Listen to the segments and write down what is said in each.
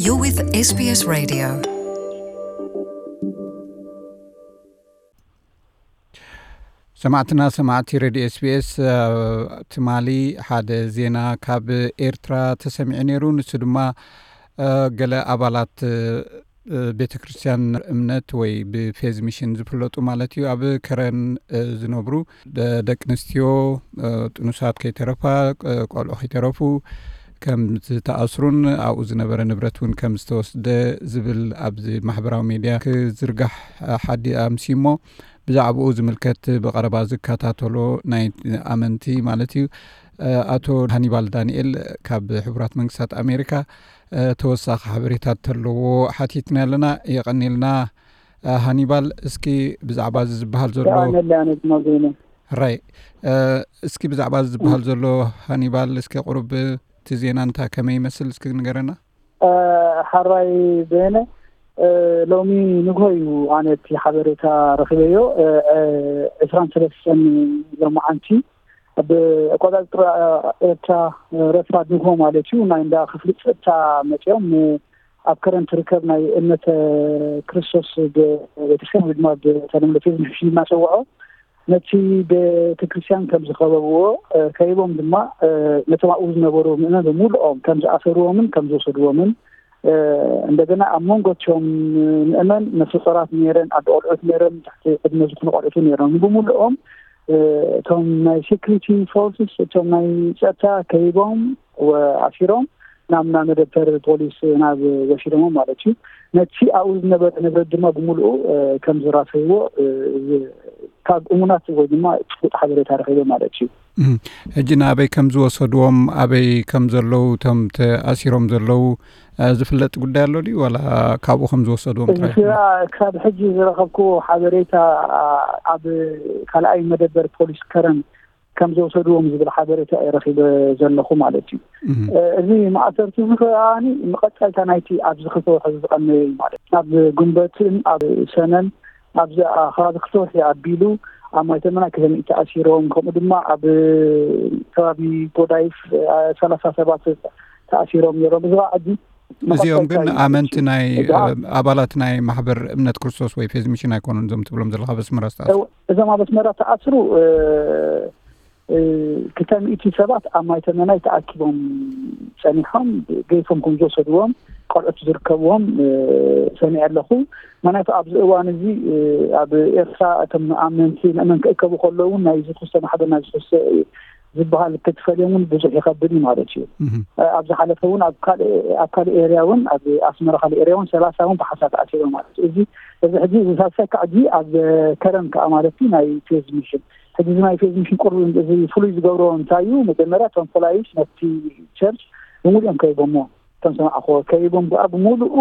You're with S B S Radio. ሰማዕትና ሰማዕቲ ሬድዮ ኤስቢኤስ፣ ትማሊ ሓደ ዜና ካብ ኤርትራ ተሰሚዑ ነይሩ። ንሱ ድማ ገለ ኣባላት ቤተ ክርስቲያን እምነት ወይ ብፌዝ ሚሽን ዝፍለጡ ማለት እዩ፣ ኣብ ከረን ዝነብሩ ደቂ ኣንስትዮ፣ ጥኑሳት ከይተረፋ፣ ቆልዑ ከይተረፉ ከም ዝተኣስሩን ኣብኡ ዝነበረ ንብረት እውን ከም ዝተወስደ ዝብል ኣብዚ ማሕበራዊ ሜድያ ክዝርጋሕ ሓዲ ኣምሲሞ፣ ብዛዕባኡ ዝምልከት ብቐረባ ዝከታተሎ ናይ ኣመንቲ ማለት እዩ፣ ኣቶ ሃኒባል ዳንኤል ካብ ሕቡራት መንግስታት ኣሜሪካ ተወሳኺ ሓበሬታ ተለዎ ሓቲትና ኣለና። የቐኒልና ሃኒባል። እስኪ ብዛዕባ እዚ ዝበሃል ዘሎ ሕራይ፣ እስኪ ብዛዕባ እዚ ዝበሃል ዘሎ ሃኒባል፣ እስኪ ቁሩብ እቲ ዜና እንታይ ከመይ ይመስል እስኪ ንገረና። ሕራይ በየነ፣ ሎሚ ንግሆ እዩ ኣነ እቲ ሓበሬታ ረኺበዮ። ዕስራን ሰለስተን ሎማዓንቲ ኣብ ኣቆጻጽራ ኤርትራ ረፋድ ንግሆ ማለት እዩ፣ ናይ እንዳ ክፍሊ ጸጥታ መጺኦም ኣብ ከረን ትርከብ ናይ እምነተ ክርስቶስ ቤተክርስትያን ወይ ድማ ብተለምዶ ፌዝ ሚሽን እናሰውዖ ነቲ ቤተክርስትያን ከም ዝኸበብዎ ከይቦም ድማ ነቶም ኣብኡ ዝነበሩ ምእመን ብምሉኦም ከም ዝኣሰርዎምን ከም ዝወሰድዎምን እንደገና ኣብ መንጎ እቲኦም ምእመን ነፍሰ ጾራት ነይረን፣ ኣደ ቆልዑት ነይረን፣ ትሕቲ ዕድመ ዝኾኑ ቆልዑት እውን ነይሮም። ብምሉኦም እቶም ናይ ሴኩሪቲ ፎርስስ፣ እቶም ናይ ጸጥታ ከይቦም ኣሲሮም ናብ ናብ መደበር ፖሊስ ናብ ወሲዶሞ ማለት እዩ። ነቲ ኣብኡ ዝነበረ ንብረት ድማ ብምሉኡ ከም ዝራሰይዎ ካብ እሙናት ወይ ድማ ጭቡጥ ሓበሬታ ረኺበ ማለት እዩ። ሕጂ ንኣበይ ከም ዝወሰድዎም፣ ኣበይ ከም ዘለዉ፣ እቶም ተኣሲሮም ዘለዉ ዝፍለጥ ጉዳይ ኣሎ ድዩ? ዋላ ካብኡ ከም ዝወሰድዎም ጥራይ? ክሳብ ሕጂ ዝረኸብኩዎ ሓበሬታ ኣብ ካልኣይ መደበር ፖሊስ ከረን ከም ዘውሰድዎም ዝብል ሓበሬታ እየ ረኺበ ዘለኹ ማለት እዩ። እዚ ማእሰርቲ እዚ ከኣ መቐጸልታ ናይቲ ኣብዚ ክልተ ወርሒ ዝቐነየ እዩ ማለት እዩ። ኣብ ጉንበትን ኣብ ሰነን ኣብዚ ከባቢ ክልተ ወርሒ ኣቢሉ ኣብ ማይተመና ክልተ ሚእቲ ተኣሲሮም፣ ከምኡ ድማ ኣብ ከባቢ ጎዳይፍ ሰላሳ ሰባት ተኣሲሮም ነይሮም። እዚ ከዓ ሕጂ እዚኦም ግን ኣመንቲ ናይ ኣባላት ናይ ማሕበር እምነት ክርስቶስ ወይ ፌዝ ሚሽን ኣይኮኑን እዞም ትብሎም ዘለካ በስመራ ዝተኣስሩ? እዞም ኣብ ኣስመራ ተኣስሩ ክልተ ሚእቲ ሰባት ኣብ ማይ ተመናይ ተኣኪቦም ጸኒሖም ገይፎም ከም ዝወሰድዎም ቆልዑት ዝርከብዎም ሰሚዐ ኣለኹ። ምክንያቱ ኣብዚ እዋን እዚ ኣብ ኤርትራ እቶም ኣመንቲ ምእመን ክእከቡ ከለዉ እውን ናይ ዝኽስተ ማሕበር ናይ ዝኽስተ ዝበሃል ክትፈልዮም እውን ብዙሕ ይኸብድ እዩ ማለት እዩ። ኣብ ዝሓለፈ እውን ኣብ ካልእ ኤርያ እውን ኣብ ኣስመራ ካልእ ኤርያ እውን ሰላሳ እውን ብሓሳብ ተኣሲሮም ማለት እዩ። እዚ እዚ ሕጂ እዚ ሳልሳይ ከዓ ሕጂ ኣብ ከረን ከዓ ማለት እዩ ናይ ፌዝ ሚሽን ሕጂ እዚ ናይ ፌዝ ሚሽን ቁርብ እዚ ፍሉይ ዝገብሮ እንታይ እዩ? መጀመርያ እቶም ፖላይስ ነቲ ቸርች ብምሉኦም ከይቦሞ ከም ሰማዕኹዎ ከይቦም ከዓ ብምሉኡ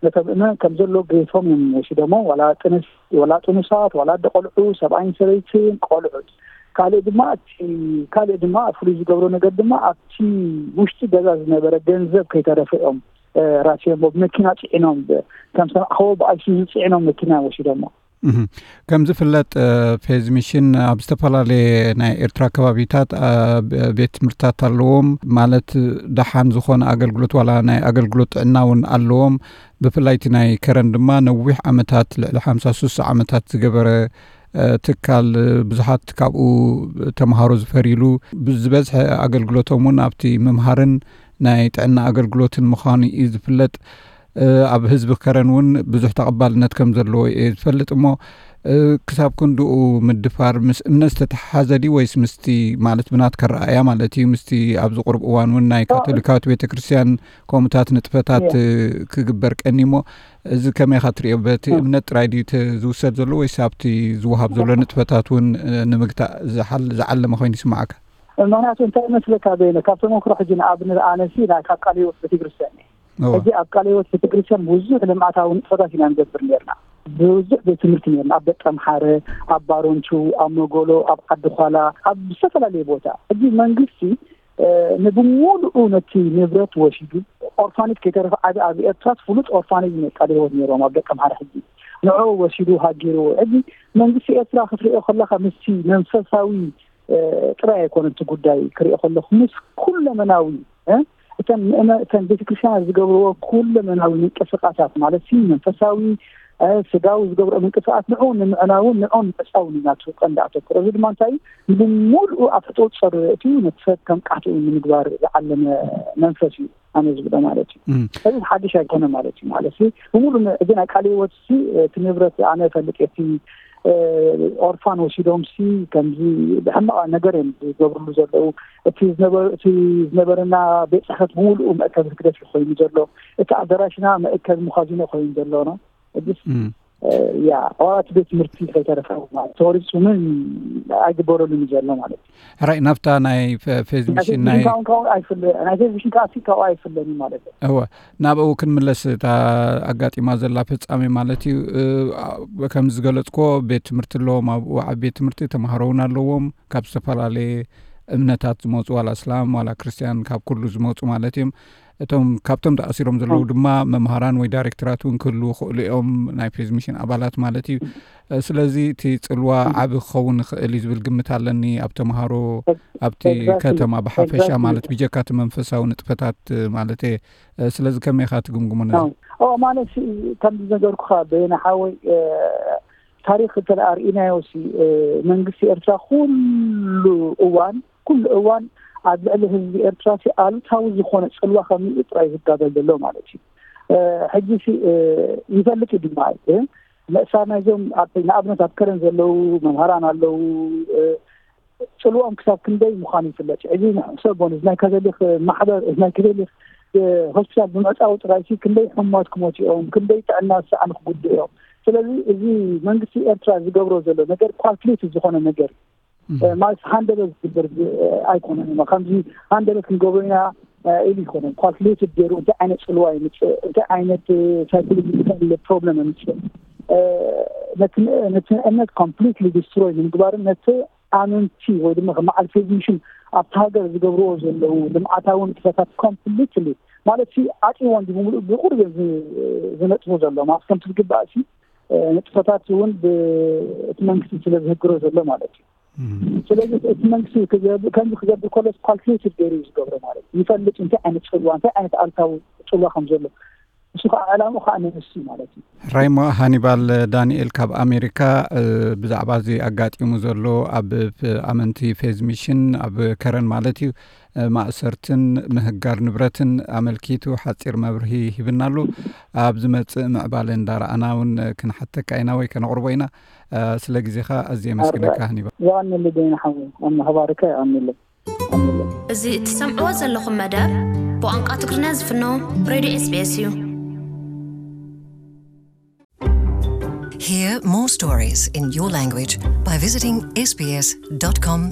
ነቶም ምእመን ከም ዘሎ ገይፎም እዮም ወሲዶሞ። ዋላ ጥንስ ዋላ ጥኑሳት ዋላ ኣደ ቆልዑ ሰብኣይን ሰበይትን ቆልዑት ካልእ ድማ እቲ ካልእ ድማ ፍሉይ ዝገብሮ ነገር ድማ ኣብቲ ውሽጢ ገዛ ዝነበረ ገንዘብ ከይተረፈ እዮም ራሲዮሞ ብመኪና ፅዒኖም ከም ሰማዕኸዎ ብኣይሱዙ ፅዒኖም መኪና ወሲዶሞ። ከም ዝፍለጥ ፌዝ ሚሽን ኣብ ዝተፈላለየ ናይ ኤርትራ ከባቢታት ቤት ትምህርትታት ኣለዎም ማለት ደሓን ዝኾነ ኣገልግሎት ዋላ ናይ ኣገልግሎት ጥዕና እውን ኣለዎም። ብፍላይ እቲ ናይ ከረን ድማ ነዊሕ ዓመታት ልዕሊ ሓምሳ ስሳ ዓመታት ዝገበረ ትካል ብዙሓት ካብኡ ተምሃሮ ዝፈርይሉ ዝበዝሐ ኣገልግሎቶም እውን ኣብቲ ምምሃርን ናይ ጥዕና ኣገልግሎትን ምዃኑ እዩ ዝፍለጥ። ኣብ ህዝቢ ከረን እውን ብዙሕ ተቐባልነት ከም ዘለዎ እየ ዝፈልጥ እሞ ክሳብ ክንድኡ ምድፋር ምስ እምነት ዝተተሓሓዘ ድዩ ወይስ ምስቲ ማለት ብናትካ ረኣያ ማለት እዩ ምስቲ ኣብዚ ቁሩብ እዋን እውን ናይ ካቶሊካዊት ቤተ ክርስቲያን ከምኡታት ንጥፈታት ክግበር ቀኒ እሞ እዚ ከመይ ኢኻ ትሪኦ? በቲ እምነት ጥራይ ድዩ ዝውሰድ ዘሎ ወይስ ኣብቲ ዝወሃብ ዘሎ ንጥፈታት እውን ንምግታእ ዝዓለመ ኮይኑ ይስማዓካ? ምክንያቱ እንታይ መስለካ በይነ ካብ ተመክሮ ሕጂ ንኣብነት ኣነሲ ናይ ካብ ቃለ ህይወት ቤተክርስትያን እየ። ሕጂ ኣብ ቃለ ህይወት ቤተክርስትያን ብዙሕ ልምዓታዊ ንጥፈታት ኢና ንገብር ነርና። ብዙሕ ቤት ትምህርቲ ነርና ኣብ ደቀምሓረ፣ ኣብ ባሮንቹ፣ ኣብ መጎሎ፣ ኣብ ዓዲ ኳላ፣ ኣብ ዝተፈላለየ ቦታ። ሕጂ መንግስቲ ንብሙሉኡ ነቲ ንብረት ወሲዱ ኦርፋኔጅ ከይተረፈ ዓቢ ኣብ ኤርትራስ ፍሉጥ ኦርፋኔጅ ቃለ ህይወት ነይሮም ኣብ ደቀምሓረ ሕጂ ንዑ ወሲዱ ሃጊርዎ። ሕጂ መንግስቲ ኤርትራ ክትሪኦ ከለካ ምስቲ መንፈሳዊ ጥራይ ኣይኮነ እቲ ጉዳይ ክሪኦ ከለኩ ምስ ኩለመናዊ እተን ምእመ እተን ቤተክርስትያን ዝገብርዎ ኩለመናዊ ምንቅስቃሳት ማለት ሲ መንፈሳዊ፣ ስጋዊ ዝገብርኦ ምንቅስቃስ ንዑ ንምዕናውን ንዑ ንምዕጻውን ኢና ቀንዲ ኣተኩሮ። እዚ ድማ እንታይ እዩ? ብሙሉኡ ኣብ ተጠውፀሩ እቲ ነቲ ሰብ ከም ቃትኡ ንምግባር ዝዓለመ መንፈስ እዩ ኣነ ዝብሎ ማለት እዩ። ስለዚ ሓድሽ ኣይኮነ ማለት እዩ። ማለት እዚ ብሙሉ እዚ ናይ ቃለ ህይወት ሲ እቲ ንብረት ኣነ ፈልጥ እቲ ኦርፋን ወሲዶም ሲ ከምዚ ብሕማቕ ነገር እዮም ዝገብርሉ ዘለዉ። እቲ ዝነበረና ቤት ፅሕፈት ብሙሉኡ መእከብ ህግደፍ ኮይኑ ዘሎ፣ እቲ ኣዳራሽና መእከብ መኻዚኖ ኮይኑ ዘሎ ነው። እዚስ ያ ኣባላት ቤት ትምህርቲ ከይተረፈ ተወሪፁ ምን ኣይግበረሉን ዘሎ ማለት እዩ። ሕራይ ናብታ ናይ ፌዝሚሽን ናይ ናይ ፌዝሚሽን ካብኡ ኣይፍለኒ ማለት እዩ። እወ፣ ናብኡ ክንምለስ እታ ኣጋጢማ ዘላ ፍጻሜ ማለት እዩ። ከም ዝገለጽኮ ቤት ትምህርቲ ኣለዎም፣ ኣብኡ ዓቢ ቤት ትምህርቲ ተማሃሮ እውን ኣለዎም፣ ካብ ዝተፈላለየ እምነታት ዝመፁ ዋላ እስላም ዋላ ክርስትያን ካብ ኩሉ ዝመፁ ማለት እዮም። እቶም ካብቶም ተኣሲሮም ዘለዉ ድማ መምሃራን ወይ ዳይሬክተራት እውን ክህልዉ ክእሉ እዮም፣ ናይ ፌዝሚሽን ኣባላት ማለት እዩ። ስለዚ እቲ ፅልዋ ዓቢ ክኸውን ይኽእል እዩ ዝብል ግምት ኣለኒ ኣብ ተምሃሮ ኣብቲ ከተማ ብሓፈሻ ማለት ብጀካ እቲ መንፈሳዊ ንጥፈታት ማለት እየ። ስለዚ ከመይ ኢኻ ትግምግሞ ነዚ? ኦ ማለት ከምዚ ነገርኩኻ በየነ ሓወይ፣ ታሪኽ እንተ ርኢናዮ ሲ መንግስቲ ኤርትራ ኩሉ እዋን ኩሉ እዋን ኣብ ልዕሊ ህዝቢ ኤርትራ ሲ ኣሉታዊ ዝኾነ ፅልዋ ከምኡ ጥራይ ዝጋበል ዘሎ ማለት እዩ። ሕጂ ሲ ይፈልጥ እዩ ድማ መእሳር ናይዞም ንኣብነት ኣብ ከረን ዘለዉ መምሃራን ኣለዉ። ፅልኦም ክሳብ ክንደይ ምዃኑ ይፍለጥ። ሕጂ ሰብ ሆን ናይ ካቶሊክ ማሕበር ናይ ካቶሊክ ሆስፒታል ብምዕፃዊ ጥራይ ሲ ክንደይ ሕሙማት ክሞት እዮም፣ ክንደይ ጥዕና ዝሰኣኑ ክጉድኡ እዮም። ስለዚ እዚ መንግስቲ ኤርትራ ዝገብሮ ዘሎ ነገር ኳልኩሌት ዝኾነ ነገር ማለት ሃንደበት ዝግበር ኣይኮነን። ከምዚ ሃንደበት ክንገብሮ ኢና ኢሉ ይኮነን። ኳልኩሌትድ ገይሩ እንታይ ዓይነት ፅልዋ ይምፅእ፣ እንታይ ዓይነት ሳይኮሎጂካል ፕሮብለም ይምፅእ፣ ነቲ እምነት ኮምፕሊትሊ ዲስትሮይ ንምግባርን ነቲ ኣመንቲ ወይ ድማ ከም በዓል ፌዝሚሽን ኣብቲ ሃገር ዝገብርዎ ዘለዉ ልምዓታዊ ንጥፈታት ኮምፕሊትሊ ማለት ሲ ዓፅይዎ እንዲ ብምሉእ ብቁሩብ እዮም ዝነጥፉ ዘሎ ማለት ከምቲ ዝግባእ ሲ ንጥፈታት እውን እቲ መንግስቲ ስለ ዝህግሮ ዘሎ ማለት እዩ። ስለዚ እቲ መንግስቲ ከምዚ ክገብር ከሎ ኳልኩሌትድ ገይሩ እዩ ዝገብሮ ማለት እዩ። ይፈልጥ እንታይ ዓይነት ፅልዋ እንታይ ዓይነት ኣልታዊ ፅልዋ ከም ዘሎ እሱ ከዓ ዕላምኡ ከዓ ንንሱ ማለት እዩ። ራይሞ ሃኒባል ዳንኤል ካብ ኣሜሪካ ብዛዕባ እዚ ኣጋጢሙ ዘሎ ኣብ ኣመንቲ ፌዝሚሽን ኣብ ከረን ማለት እዩ ማእሰርትን ምህጋር ንብረትን ኣመልኪቱ ሓፂር መብርሂ ሂብና ኣሎ። ኣብ ዝመፅእ ምዕባለ እንዳረኣና እውን ክንሓተካ ኢና ወይ ከነቕርቦ ኢና። ስለ ግዜኻ ኣዝየ የመስግነካ ሃኒባል። የቐንየለይ በየነ ሓወይ፣ ኣብ ምኽባርካ የቐንየለይ። እዚ እትሰምዕዎ ዘለኹም መደብ ብቋንቋ ትግርኛ ዝፍኖ ሬድዮ ኤስቢኤስ እዩ። Hear more stories in your language by visiting sbs.com.au.